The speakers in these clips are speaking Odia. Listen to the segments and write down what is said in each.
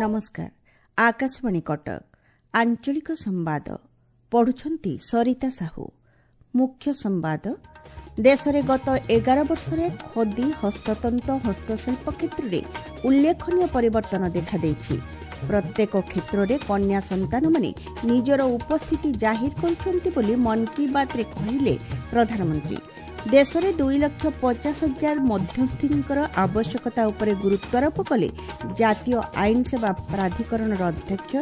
ନମସ୍କାର, ଆକାଶବାଣୀ କଟକ। ଆଞ୍ଚଳିକ ସମ୍ବାଦ ପଢୁଛନ୍ତି ସରିତା ସାହୁ। ମୁଖ୍ୟ ସମ୍ବାଦ। ଦେଶରେ ଗତ 11 ବର୍ଷରେ ଖଦି, ହସ୍ତତନ୍ତ, ହସ୍ତଶିଳ୍ପ କ୍ଷେତ୍ରରେ ଉଲ୍ଲେଖନୀୟ ପରିବର୍ତ୍ତନ ଦେଖାଦେଇଛି। ପ୍ରତ୍ୟେକ କ୍ଷେତ୍ରରେ କନ୍ୟା ସନ୍ତାନମାନେ ନିଜର ଉପସ୍ଥିତି ଜାହିର କରୁଛନ୍ତି ବୋଲି ମନ୍ କି ବାତ୍ରେ କହିଲେ ପ୍ରଧାନମନ୍ତ୍ରୀ। ଦେଶରେ 2,50,000 ମଧ୍ୟସ୍ଥିଙ୍କର ଆବଶ୍ୟକତା ଉପରେ ଗୁରୁତ୍ୱାରୋପ କଲେ ଜାତୀୟ ଆଇନ ସେବା ପ୍ରାଧିକରଣର ଅଧ୍ୟକ୍ଷ।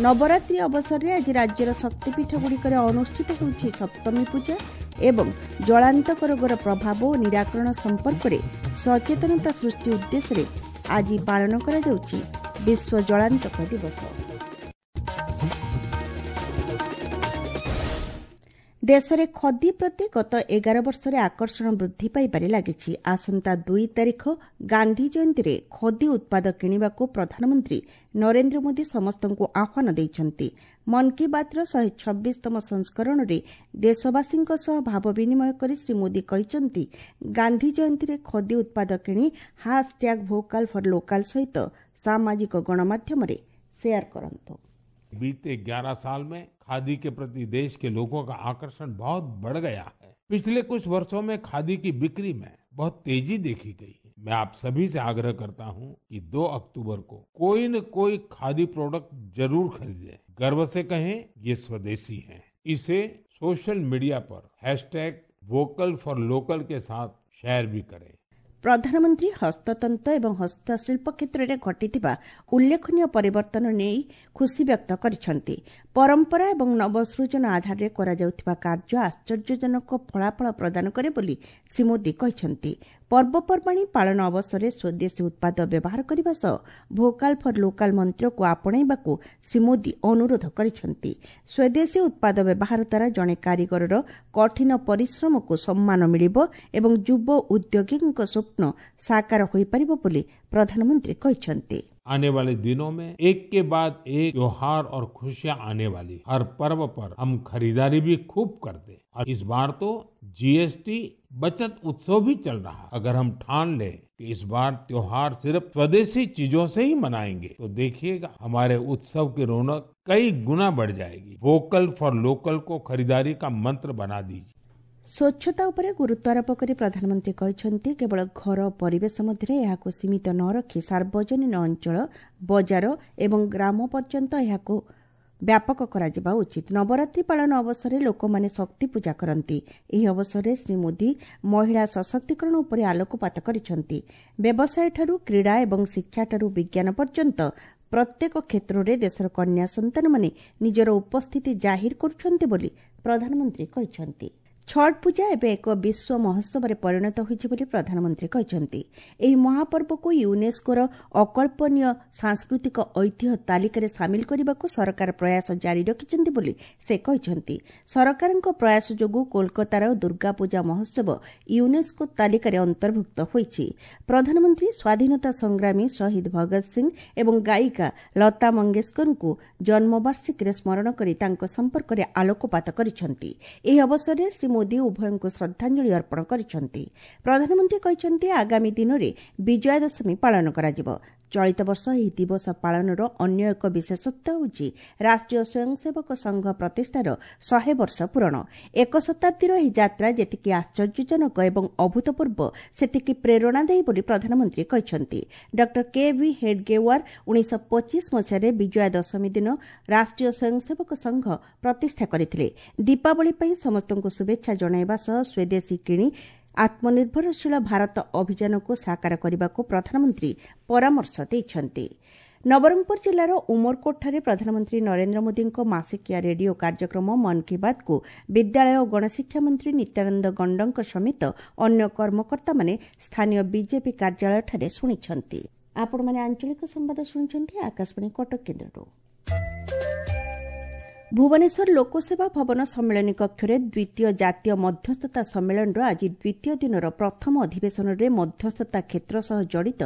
ନବରାତ୍ରି ଅବସରରେ ଆଜି ରାଜ୍ୟର ଶକ୍ତିପୀଠଗୁଡ଼ିକରେ ଅନୁଷ୍ଠିତ ହେଉଛି ସପ୍ତମୀ ପୂଜା ଏବଂ ଜଳାନ୍ତକ ରୋଗର ପ୍ରଭାବ ଓ ନିରାକରଣ ସମ୍ପର୍କରେ ସଚେତନତା ସୃଷ୍ଟି ଉଦ୍ଦେଶ୍ୟରେ ଆଜି ପାଳନ କରାଯାଉଛି ବିଶ୍ୱ ଜଳାନ୍ତକ ଦିବସ। ଦେଶରେ ଖଦି ପ୍ରତି ଗତ 11 ବର୍ଷରେ ଆକର୍ଷଣ ବୃଦ୍ଧି ପାଇବାରେ ଲାଗିଛି। ଆସନ୍ତା 2 ତାରିଖ ଗାନ୍ଧୀ ଜୟନ୍ତୀରେ ଖଦି ଉତ୍ପାଦ କିଣିବାକୁ ପ୍ରଧାନମନ୍ତ୍ରୀ ନରେନ୍ଦ୍ର ମୋଦି ସମସ୍ତଙ୍କୁ ଆହ୍ୱାନ ଦେଇଛନ୍ତି। ମନ୍ କି ବାତ୍ର 126ତମ ସଂସ୍କରଣରେ ଦେଶବାସୀଙ୍କ ସହ ଭାବ ବିନିମୟ କରି ଶ୍ରୀ ମୋଦି କହିଛନ୍ତି, ଗାନ୍ଧୀ ଜୟନ୍ତୀରେ ଖଦି ଉତ୍ପାଦ କିଣି ହାସ୍ଟ୍ୟାଗ୍ ଭୋକାଲ୍ ଫର୍ ଲୋକାଲ୍ ସହିତ ସାମାଜିକ ଗଣମାଧ୍ୟମରେ ସେୟାର କରନ୍ତୁ। बीते 11 साल में खादी के प्रति देश के लोगों का आकर्षण बहुत बढ़ गया है। पिछले कुछ वर्षों में खादी की बिक्री में बहुत तेजी देखी गई है। मैं आप सभी से आग्रह करता हूं कि 2 अक्टूबर को कोई न कोई खादी प्रोडक्ट जरूर खरीदें। गर्व से कहें ये स्वदेशी है। इसे सोशल मीडिया पर हैशटैग वोकल फॉर लोकल के साथ शेयर भी करें। ପ୍ରଧାନମନ୍ତ୍ରୀ ହସ୍ତତନ୍ତ ଏବଂ ହସ୍ତଶିଳ୍ପ କ୍ଷେତ୍ରରେ ଘଟିଥିବା ଉଲ୍ଲେଖନୀୟ ପରିବର୍ତ୍ତନ ନେଇ ଖୁସି ବ୍ୟକ୍ତ କରିଛନ୍ତି। ପରମ୍ପରା ଏବଂ ନବସୃଜନ ଆଧାରରେ କରାଯାଉଥିବା କାର୍ଯ୍ୟ ଆଶ୍ଚର୍ଯ୍ୟଜନକ ଫଳାଫଳ ପ୍ରଦାନ କରେ ବୋଲି ଶ୍ରୀ ମୋଦି କହିଛନ୍ତି। ପର୍ବପର୍ବାଣୀ ପାଳନ ଅବସରରେ ସ୍ୱଦେଶୀ ଉତ୍ପାଦ ବ୍ୟବହାର କରିବା ସହ ଭୋକାଲ୍ ଫର୍ ଲୋକାଲ୍ ମନ୍ତ୍ରକୁ ଆପଣେଇବାକୁ ଶ୍ରୀ ମୋଦି ଅନୁରୋଧ କରିଛନ୍ତି। ସ୍ୱଦେଶୀ ଉତ୍ପାଦ ବ୍ୟବହାର ଦ୍ୱାରା ଜଣେ କାରିଗରର କଠିନ ପରିଶ୍ରମକୁ ସମ୍ମାନ ମିଳିବ ଏବଂ ଯୁବ ଉଦ୍ୟୋଗୀଙ୍କ ସ୍ୱପ୍ନ ସାକାର ହୋଇପାରିବ ବୋଲି ପ୍ରଧାନମନ୍ତ୍ରୀ କହିଛନ୍ତି। आने वाले दिनों में एक के बाद एक त्योहार और खुशियां आने वाली। हर पर्व पर हम खरीदारी भी खूब करते हैं और इस बार तो जीएसटी बचत उत्सव भी चल रहा है। अगर हम ठान लें कि इस बार त्योहार सिर्फ स्वदेशी चीजों से ही मनाएंगे तो देखिएगा हमारे उत्सव की रौनक कई गुना बढ़ जाएगी। वोकल फॉर लोकल को खरीदारी का मंत्र बना दीजिए। ସ୍ୱଚ୍ଛତା ଉପରେ ଗୁରୁତ୍ୱାରୋପ କରି ପ୍ରଧାନମନ୍ତ୍ରୀ କହିଛନ୍ତି, କେବଳ ଘର ପରିବେଶ ମଧ୍ୟରେ ଏହାକୁ ସୀମିତ ନ ରଖି ସାର୍ବଜନୀନ ଅଞ୍ଚଳ, ବଜାର ଏବଂ ଗ୍ରାମ ପର୍ଯ୍ୟନ୍ତ ଏହାକୁ ବ୍ୟାପକ କରାଯିବା ଉଚିତ। ନବରାତ୍ରି ପାଳନ ଅବସରରେ ଲୋକମାନେ ଶକ୍ତି ପୂଜା କରନ୍ତି। ଏହି ଅବସରରେ ଶ୍ରୀ ମୋଦି ମହିଳା ସଶକ୍ତିକରଣ ଉପରେ ଆଲୋକପାତ କରିଛନ୍ତି। ବ୍ୟବସାୟଠାରୁ କ୍ରୀଡ଼ା ଏବଂ ଶିକ୍ଷାଠାରୁ ବିଜ୍ଞାନ ପର୍ଯ୍ୟନ୍ତ ପ୍ରତ୍ୟେକ କ୍ଷେତ୍ରରେ ଦେଶର କନ୍ୟା ସନ୍ତାନମାନେ ନିଜର ଉପସ୍ଥିତି ଜାହିର କରୁଛନ୍ତି ବୋଲି ପ୍ରଧାନମନ୍ତ୍ରୀ କହିଛନ୍ତି। ଛଟ୍ ପୂଜା ଏବେ ଏକ ବିଶ୍ୱ ମହୋତ୍ସବରେ ପରିଣତ ହୋଇଛି ବୋଲି ପ୍ରଧାନମନ୍ତ୍ରୀ କହିଛନ୍ତି। ଏହି ମହାପର୍ବକୁ ୟୁନେସ୍କୋର ଅକଳ୍ପନୀୟ ସାଂସ୍କୃତିକ ଐତିହ୍ୟ ତାଲିକାରେ ସାମିଲ କରିବାକୁ ସରକାର ପ୍ରୟାସ ଜାରି ରଖିଛନ୍ତି ବୋଲି ସେ କହିଛନ୍ତି। ସରକାରଙ୍କ ପ୍ରୟାସ ଯୋଗୁଁ କୋଲକାତାର ଦୁର୍ଗାପୂଜା ମହୋତ୍ସବ ୟୁନେସ୍କୋ ତାଲିକାରେ ଅନ୍ତର୍ଭୁକ୍ତ ହୋଇଛି। ପ୍ରଧାନମନ୍ତ୍ରୀ ସ୍ୱାଧୀନତା ସଂଗ୍ରାମୀ ଶହୀଦ ଭଗତ ସିଂ ଏବଂ ଗାୟିକା ଲତା ମଙ୍ଗେଶକରଙ୍କୁ ଜନ୍ମବାର୍ଷିକୀରେ ସ୍ମରଣ କରି ତାଙ୍କ ସମ୍ପର୍କରେ ଆଲୋକପାତ କରିଛନ୍ତି। ଏହି ଅବସରରେ ଶ୍ରୀ ମୋଦି ଉଭୟଙ୍କୁ ଶ୍ରଦ୍ଧାଞ୍ଜଳି ଅର୍ପଣ କରିଛନ୍ତି। ପ୍ରଧାନମନ୍ତ୍ରୀ କହିଛନ୍ତି, ଆଗାମୀ ଦିନରେ ବିଜୟା ଦଶମୀ ପାଳନ କରାଯିବ। ଚଳିତ ବର୍ଷ ଏହି ଦିବସ ପାଳନର ଅନ୍ୟ ଏକ ବିଶେଷତ୍ୱ ହେଉଛି ରାଷ୍ଟ୍ରୀୟ ସ୍ୱୟଂସେବକ ସଂଘ ପ୍ରତିଷ୍ଠାର 100 ବର୍ଷ ପୂରଣ। ଏକ ଶତାବ୍ଦୀର ଏହି ଯାତ୍ରା ଯେତିକି ଆଶ୍ଚର୍ଯ୍ୟଜନକ ଏବଂ ଅଭୂତପୂର୍ବ, ସେତିକି ପ୍ରେରଣାଦାୟୀ ବୋଲି ପ୍ରଧାନମନ୍ତ୍ରୀ କହିଛନ୍ତି। ଡକ୍ଟର କେ ଭି ହେଡଗେୱାର 1925 ମସିହାରେ ବିଜୟା ଦଶମୀ ଦିନ ରାଷ୍ଟ୍ରୀୟ ସ୍ୱୟଂସେବକ ସଂଘ ପ୍ରତିଷ୍ଠା କରିଥିଲେ। ଦୀପାବଳି ପାଇଁ ସମସ୍ତଙ୍କୁ ଶୁଭେଚ୍ଛା ଜଣାଇବା ସହ ସ୍ୱଦେଶୀ କିଣି ଆତ୍ମନିର୍ଭରଶୀଳ ଭାରତ ଅଭିଯାନକୁ ସାକାର କରିବାକୁ ପ୍ରଧାନମନ୍ତ୍ରୀ ପରାମର୍ଶ ଦେଇଛନ୍ତି। ନବରଙ୍ଗପୁର ଜିଲ୍ଲାର ଉମରକୋଟଠାରେ ପ୍ରଧାନମନ୍ତ୍ରୀ ନରେନ୍ଦ୍ର ମୋଦିଙ୍କ ମାସିକିଆ ରେଡିଓ କାର୍ଯ୍ୟକ୍ରମ ମନ୍ କି ବାତ୍କୁ ବିଦ୍ୟାଳୟ ଓ ଗଣଶିକ୍ଷା ମନ୍ତ୍ରୀ ନିତ୍ୟାନନ୍ଦ ଗଣ୍ଡଙ୍କ ସମେତ ଅନ୍ୟ କର୍ମକର୍ତ୍ତାମାନେ ସ୍ଥାନୀୟ ବିଜେପି କାର୍ଯ୍ୟାଳୟଠାରେ ଶୁଣିଛନ୍ତି। ଆପଣମାନେ ଆଞ୍ଚଳିକ ସମ୍ବାଦ ଶୁଣୁଛନ୍ତି ଆକାଶବାଣୀ କଟକ କେନ୍ଦ୍ରରୁ। ଭୁବନେଶ୍ୱର ଲୋକସେବା ଭବନ ସମ୍ମିଳନୀ କକ୍ଷରେ ଦ୍ୱିତୀୟ ଜାତୀୟ ମଧ୍ୟସ୍ଥତା ସମ୍ମିଳନୀର ଆଜି ଦ୍ୱିତୀୟ ଦିନର ପ୍ରଥମ ଅଧିବେଶନରେ ମଧ୍ୟସ୍ଥତା କ୍ଷେତ୍ର ସହ ଜଡ଼ିତ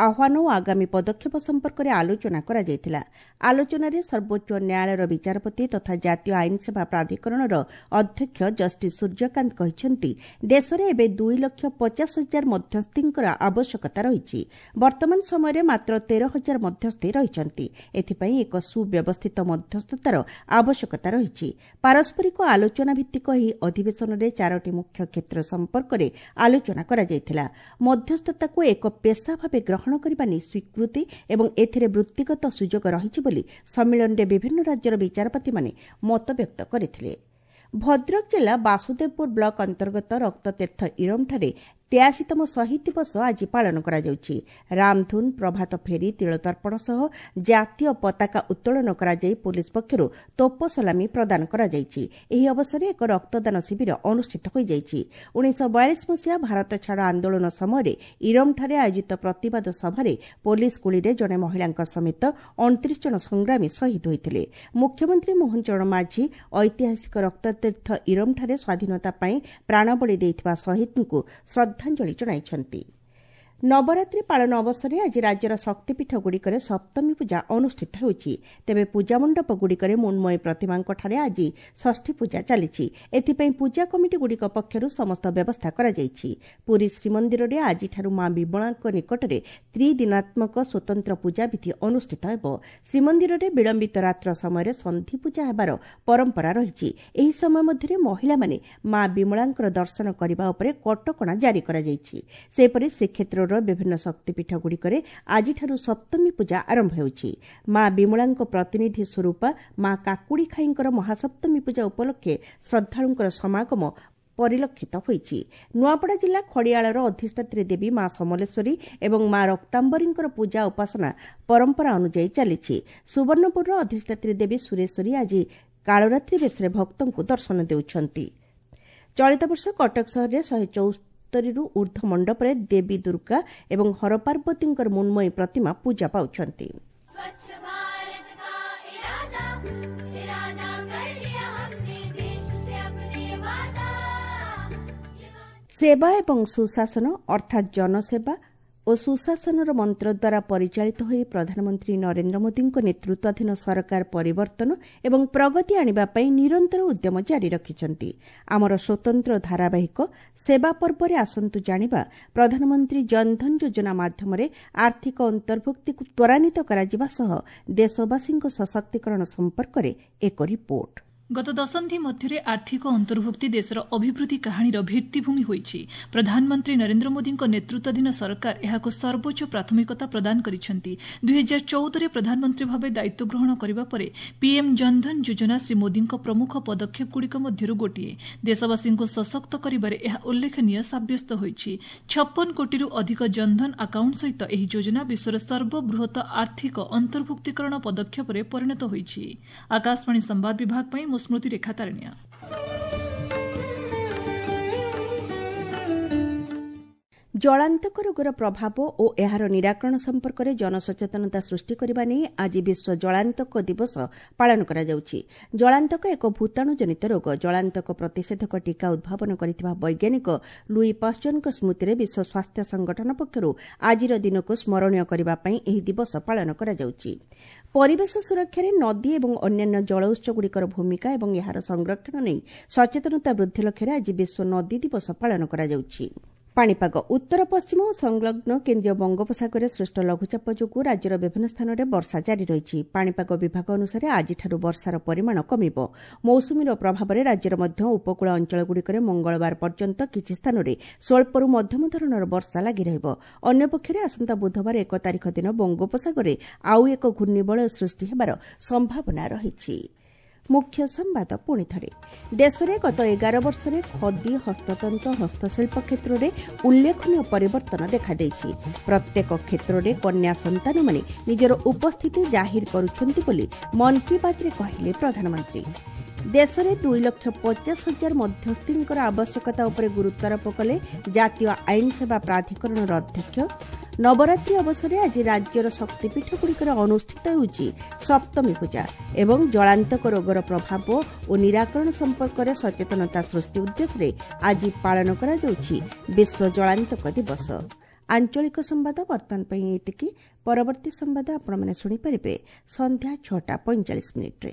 ଆହ୍ୱାନ ଓ ଆଗାମୀ ପଦକ୍ଷେପ ସମ୍ପର୍କରେ ଆଲୋଚନା କରାଯାଇଥିଲା। ଆଲୋଚନାରେ ସର୍ବୋଚ୍ଚ ନ୍ୟାୟାଳୟର ବିଚାରପତି ତଥା ଜାତୀୟ ଆଇନସେବା ପ୍ରାଧିକରଣର ଅଧ୍ୟକ୍ଷ ଜଷ୍ଟିସ୍ ସୂର୍ଯ୍ୟକାନ୍ତ କହିଛନ୍ତି, ଦେଶରେ ଏବେ 2,50,000 ମଧ୍ୟସ୍ଥିଙ୍କର ଆବଶ୍ୟକତା ରହିଛି। ବର୍ତ୍ତମାନ ସମୟରେ ମାତ୍ର 13,000 ମଧ୍ୟସ୍ଥି ରହିଛନ୍ତି। ଏଥିପାଇଁ ଏକ ସୁବ୍ୟବସ୍ଥିତ ମଧ୍ୟସ୍ଥତାର ଆବଶ୍ୟକତା ରହିଛି। ପାରସ୍ପରିକ ଆଲୋଚନା ଭିତ୍ତିକ ଏହି ଅଧିବେଶନରେ 4ଟି ମୁଖ୍ୟ କ୍ଷେତ୍ର ସମ୍ପର୍କରେ ଆଲୋଚନା କରାଯାଇଥିଲା। ମଧ୍ୟସ୍ଥତାକୁ ଏକ ପେସା ଭାବେ ଗ୍ରହଣ କରିବା ନେଇ ସ୍ୱୀକୃତି ଏବଂ ଏଥିରେ ବୃତ୍ତିଗତ ସୁଯୋଗ ରହିଛି ବୋଲି ସମ୍ମିଳନୀରେ ବିଭିନ୍ନ ରାଜ୍ୟର ବିଚାରପତିମାନେ ମତବ୍ୟକ୍ତ କରିଥିଲେ। ଭଦ୍ରକ ଜିଲ୍ଲା ବାସୁଦେବପୁର ବ୍ଲକ ଅନ୍ତର୍ଗତ ରକ୍ତତୀର୍ଥ ଇରମଠାରେ 83ତମ ଶହୀଦ ଦିବସ ଆଜି ପାଳନ କରାଯାଉଛି। ରାମଧୁନ, ପ୍ରଭାତ ଫେରି, ତିଳତର୍ପଣ ସହ ଜାତୀୟ ପତାକା ଉତ୍ତୋଳନ କରାଯାଇ ପୋଲିସ ପକ୍ଷରୁ ତୋପ ସଲାମି ପ୍ରଦାନ କରାଯାଇଛି। ଏହି ଅବସରରେ ଏକ ରକ୍ତଦାନ ଶିବିର ଅନୁଷ୍ଠିତ ହୋଇଯାଇଛି। 1942 ମସିହା ଭାରତ ଛାଡ଼ ଆନ୍ଦୋଳନ ସମୟରେ ଇରମଠାରେ ଆୟୋଜିତ ପ୍ରତିବାଦ ସଭାରେ ପୋଲିସ ଗୁଳିରେ ଜଣେ ମହିଳାଙ୍କ ସମେତ 29 ଜଣ ସଂଗ୍ରାମୀ ଶହୀଦ ହୋଇଥିଲେ। ମୁଖ୍ୟମନ୍ତ୍ରୀ ମୋହନ ଚରଣ ମାଝୀ ଐତିହାସିକ ରକ୍ତତୀର୍ଥ ଇରମଠାରେ ସ୍ୱାଧୀନତା ପାଇଁ ପ୍ରାଣବଳି ଦେଇଥିବା ଶହୀଦଙ୍କୁ ଶ୍ରଦ୍ଧାଞ୍ଜଳି ଜଣାଇଛନ୍ତି। ନବରାତ୍ରି ପାଳନ ଅବସରରେ ଆଜି ରାଜ୍ୟର ଶକ୍ତିପୀଠଗୁଡ଼ିକରେ ସପ୍ତମୀ ପୂଜା ଅନୁଷ୍ଠିତ ହେଉଛି। ତେବେ ପୂଜାମଣ୍ଡପଗୁଡ଼ିକରେ ମୃଣ୍ମୟୀ ପ୍ରତିମାଙ୍କଠାରେ ଆଜି ଷଷ୍ଠୀ ପୂଜା ଚାଲିଛି। ଏଥିପାଇଁ ପୂଜା କମିଟିଗୁଡ଼ିକ ପକ୍ଷରୁ ସମସ୍ତ ବ୍ୟବସ୍ଥା କରାଯାଇଛି। ପୁରୀ ଶ୍ରୀମନ୍ଦିରରେ ଆଜିଠାରୁ ମା ବିମଳାଙ୍କ ନିକଟରେ ତ୍ରିଦିନାତ୍ମକ ସ୍ୱତନ୍ତ୍ର ପୂଜାବିଧି ଅନୁଷ୍ଠିତ ହେବ। ଶ୍ରୀମନ୍ଦିରରେ ବିଳମ୍ବିତ ରାତ୍ର ସମୟରେ ସନ୍ଧି ପୂଜା ହେବାର ପରମ୍ପରା ରହିଛି। ଏହି ସମୟ ମଧ୍ୟରେ ମହିଳାମାନେ ମା ବିମଳାଙ୍କର ଦର୍ଶନ କରିବା ଉପରେ କଟକଣା ଜାରି କରାଯାଇଛି। ସେହିପରି ଶ୍ରୀକ୍ଷେତ୍ରର ବିଭିନ୍ନ ଶକ୍ତିପୀଠଗୁଡ଼ିକରେ ଆଜିଠାରୁ ସପ୍ତମୀ ପୂଜା ଆରମ୍ଭ ହେଉଛି। ମା ବିମଳାଙ୍କ ପ୍ରତିନିଧି ସ୍ୱରୂପ ମା କାକୁଡ଼ିଖାଇଙ୍କର ମହାସପ୍ତମୀ ପୂଜା ଉପଲକ୍ଷେ ଶ୍ରଦ୍ଧାଳୁଙ୍କର ସମାଗମ ପରିଲକ୍ଷିତ ହୋଇଛି। ନୂଆପଡ଼ା ଜିଲ୍ଲା ଖଡ଼ିଆଳର ଅଧିଷ୍ଠାତ୍ରୀ ଦେବୀ ମା ସମଲେଶ୍ୱରୀ ଏବଂ ମା ରକ୍ତାମ୍ବରୀଙ୍କର ପୂଜା ଉପାସନା ପରମ୍ପରା ଅନୁଯାୟୀ ଚାଲିଛି। ସୁବର୍ଣ୍ଣପୁରର ଅଧିଷ୍ଠାତ୍ରୀ ଦେବୀ ସୁରେଶ୍ୱରୀ ଆଜି କାଳରାତ୍ରି ବେଶରେ ଭକ୍ତଙ୍କୁ ଦର୍ଶନ ଦେଉଛନ୍ତି। ଚଳିତ ବର୍ଷ କଟକ ସହରରେ 174ରୁ ଊର୍ଦ୍ଧ୍ୱ ମଣ୍ଡପରେ ଦେବୀ ଦୁର୍ଗା ଏବଂ ହରପାର୍ବତୀଙ୍କର ମୃଣ୍ମୟୀ ପ୍ରତିମା ପୂଜା ପାଉଛନ୍ତି। ସେବା ଏବଂ ସୁଶାସନ ଅର୍ଥାତ୍ ଜନସେବା ଓ ସୁଶାସନର ମନ୍ତ୍ର ଦ୍ୱାରା ପରିଚାଳିତ ହୋଇ ପ୍ରଧାନମନ୍ତ୍ରୀ ନରେନ୍ଦ୍ର ମୋଦିଙ୍କ ନେତୃତ୍ୱାଧୀନ ସରକାର ପରିବର୍ତ୍ତନ ଏବଂ ପ୍ରଗତି ଆଣିବା ପାଇଁ ନିରନ୍ତର ଉଦ୍ୟମ ଜାରି ରଖିଛନ୍ତି। ଆମର ସ୍ୱତନ୍ତ୍ର ଧାରାବାହିକ ସେବା ପର୍ବରେ ଆସନ୍ତୁ ଜାଣିବା ପ୍ରଧାନମନ୍ତ୍ରୀ ଜନଧନ ଯୋଜନା ମାଧ୍ୟମରେ ଆର୍ଥିକ ଅନ୍ତର୍ଭୁକ୍ତିକୁ ତ୍ୱରାନ୍ୱିତ କରାଯିବା ସହ ଦେଶବାସୀଙ୍କ ସଶକ୍ତିକରଣ ସମ୍ପର୍କରେ ଏକ ରିପୋର୍ଟ। ଗତ ଦଶନ୍ଧି ମଧ୍ୟରେ ଆର୍ଥିକ ଅନ୍ତର୍ଭୁକ୍ତି ଦେଶର ଅଭିବୃଦ୍ଧି କାହାଣୀର ଭିତ୍ତିଭୂମି ହୋଇଛି। ପ୍ରଧାନମନ୍ତ୍ରୀ ନରେନ୍ଦ୍ର ମୋଦିଙ୍କ ନେତୃତ୍ୱାଧୀନ ସରକାର ଏହାକୁ ସର୍ବୋଚ୍ଚ ପ୍ରାଥମିକତା ପ୍ରଦାନ କରିଛନ୍ତି। 2014ରେ ପ୍ରଧାନମନ୍ତ୍ରୀ ଭାବେ ଦାୟିତ୍ୱ ଗ୍ରହଣ କରିବା ପରେ ପିଏମ୍ ଜନଧନ ଯୋଜନା ଶ୍ରୀ ମୋଦିଙ୍କ ପ୍ରମୁଖ ପଦକ୍ଷେପଗୁଡ଼ିକ ମଧ୍ୟରୁ ଗୋଟିଏ। ଦେଶବାସୀଙ୍କୁ ସଶକ୍ତ କରିବାରେ ଏହା ଉଲ୍ଲେଖନୀୟ ସାବ୍ୟସ୍ତ ହୋଇଛି। 56 କୋଟିରୁ ଅଧିକ ଜନଧନ ଆକାଉଣ୍ଟ ସହିତ ଏହି ଯୋଜନା ବିଶ୍ୱର ସର୍ବବୃହତ ଆର୍ଥିକ ଅନ୍ତର୍ଭୁକ୍ତୀକରଣ ପଦକ୍ଷେପରେ ପରିଣତ ହୋଇଛି। ଆକାଶବାଣୀ ସମ୍ବାଦ ବିଭାଗ ପାଇଁ ମୁଁ ସ୍ମୃତିରେଖା ତାରଣିଆ। ଜଳାନ୍ତକ ରୋଗର ପ୍ରଭାବ ଓ ଏହାର ନିରାକରଣ ସମ୍ପର୍କରେ ଜନସଚେତନତା ସୃଷ୍ଟି କରିବା ନେଇ ଆଜି ବିଶ୍ୱ ଜଳାନ୍ତକ ଦିବସ ପାଳନ କରାଯାଉଛି। ଜଳାନ୍ତକ ଏକ ଭୂତାଣୁଜନିତ ରୋଗ। ଜଳାନ୍ତକ ପ୍ରତିଷେଧକ ଟିକା ଉଦ୍ଭାବନ କରିଥିବା ବୈଜ୍ଞାନିକ ଲୁଇ ପାଶ୍ଚରଙ୍କ ସ୍ମୃତିରେ ବିଶ୍ୱ ସ୍ୱାସ୍ଥ୍ୟ ସଂଗଠନ ପକ୍ଷରୁ ଆଜିର ଦିନକୁ ସ୍ମରଣୀୟ କରିବା ପାଇଁ ଏହି ଦିବସ ପାଳନ କରାଯାଉଛି। ପରିବେଶ ସୁରକ୍ଷାରେ ନଦୀ ଏବଂ ଅନ୍ୟାନ୍ୟ ଜଳ ଉତ୍ସଗୁଡ଼ିକର ଭୂମିକା ଏବଂ ଏହାର ସଂରକ୍ଷଣ ନେଇ ସଚେତନତା ବୃଦ୍ଧି ଲକ୍ଷ୍ୟରେ ଆଜି ବିଶ୍ୱ ନଦୀ ଦିବସ ପାଳନ କରାଯାଉଛି। ପାଣିପାଗ ଉତ୍ତର ପଶ୍ଚିମ ଓ ସଂଲଗ୍ନ କେନ୍ଦ୍ରୀୟ ବଙ୍ଗୋପସାଗରରେ ସୃଷ୍ଟ ଲଘୁଚାପ ଯୋଗୁଁ ରାଜ୍ୟର ବିଭିନ୍ନ ସ୍ଥାନରେ ବର୍ଷା ଜାରି ରହିଛି। ପାଣିପାଗ ବିଭାଗ ଅନୁସାରେ ଆଜିଠାରୁ ବର୍ଷାର ପରିମାଣ କମିବ। ମୌସୁମୀର ପ୍ରଭାବରେ ରାଜ୍ୟର ମଧ୍ୟ ଉପକୂଳ ଅଞ୍ଚଳଗୁଡ଼ିକରେ ମଙ୍ଗଳବାର ପର୍ଯ୍ୟନ୍ତ କିଛି ସ୍ଥାନରେ ସ୍ୱଳ୍ପରୁ ମଧ୍ୟମ ଧରଣର ବର୍ଷା ଲାଗି ରହିବ। ଅନ୍ୟପକ୍ଷରେ ଆସନ୍ତା ବୁଧବାର 1 ତାରିଖ ଦିନ ବଙ୍ଗୋପସାଗରରେ ଆଉ ଏକ ଘୂର୍ଣ୍ଣିବଳୟ ସୃଷ୍ଟି ହେବାର ସମ୍ଭାବନା ରହିଛି। ମୁଖ୍ୟ ସମ୍ବାଦ ପୁଣି ଥରେ, ଦେଶରେ ଗତ 11 ବର୍ଷରେ ଖଦି, ହସ୍ତତନ୍ତ, ହସ୍ତଶିଳ୍ପ କ୍ଷେତ୍ରରେ ଉଲ୍ଲେଖନୀୟ ପରିବର୍ତ୍ତନ ଦେଖାଦେଇଛି। ପ୍ରତ୍ୟେକ କ୍ଷେତ୍ରରେ କନ୍ୟା ସନ୍ତାନମାନେ ନିଜର ଉପସ୍ଥିତି ଜାହିର କରୁଛନ୍ତି ବୋଲି ମନ୍ କି ବାତ୍ରେ କହିଲେ ପ୍ରଧାନମନ୍ତ୍ରୀ। ଦେଶରେ 2,50,000 ମଧ୍ୟସ୍ଥିଙ୍କର ଆବଶ୍ୟକତା ଉପରେ ଗୁରୁତ୍ୱାରୋପ କଲେ ଜାତୀୟ ଆଇନ ସେବା ପ୍ରାଧିକରଣର ଅଧ୍ୟକ୍ଷ। ନବରାତ୍ରି ଅବସରରେ ଆଜି ରାଜ୍ୟର ଶକ୍ତିପୀଠଗୁଡ଼ିକରେ ଅନୁଷ୍ଠିତ ହେଉଛି ସପ୍ତମୀ ପୂଜା ଏବଂ ଜଳାନ୍ତକ ରୋଗର ପ୍ରଭାବ ଓ ନିରାକରଣ ସମ୍ପର୍କରେ ସଚେତନତା ସୃଷ୍ଟି ଉଦ୍ଦେଶ୍ୟରେ ଆଜି ପାଳନ କରାଯାଉଛି ବିଶ୍ୱ ଜଳାନ୍ତକ ଦିବସ। ଆଞ୍ଚଳିକ ସମ୍ବାଦ ବର୍ତ୍ତମାନ ପାଇଁ ଏତିକି। ପରବର୍ତ୍ତୀ ସମ୍ବାଦ ଆପଣମାନେ ଶୁଣିପାରିବେ ସନ୍ଧ୍ୟା 6ଟା 45 ମିନିଟ୍ରେ।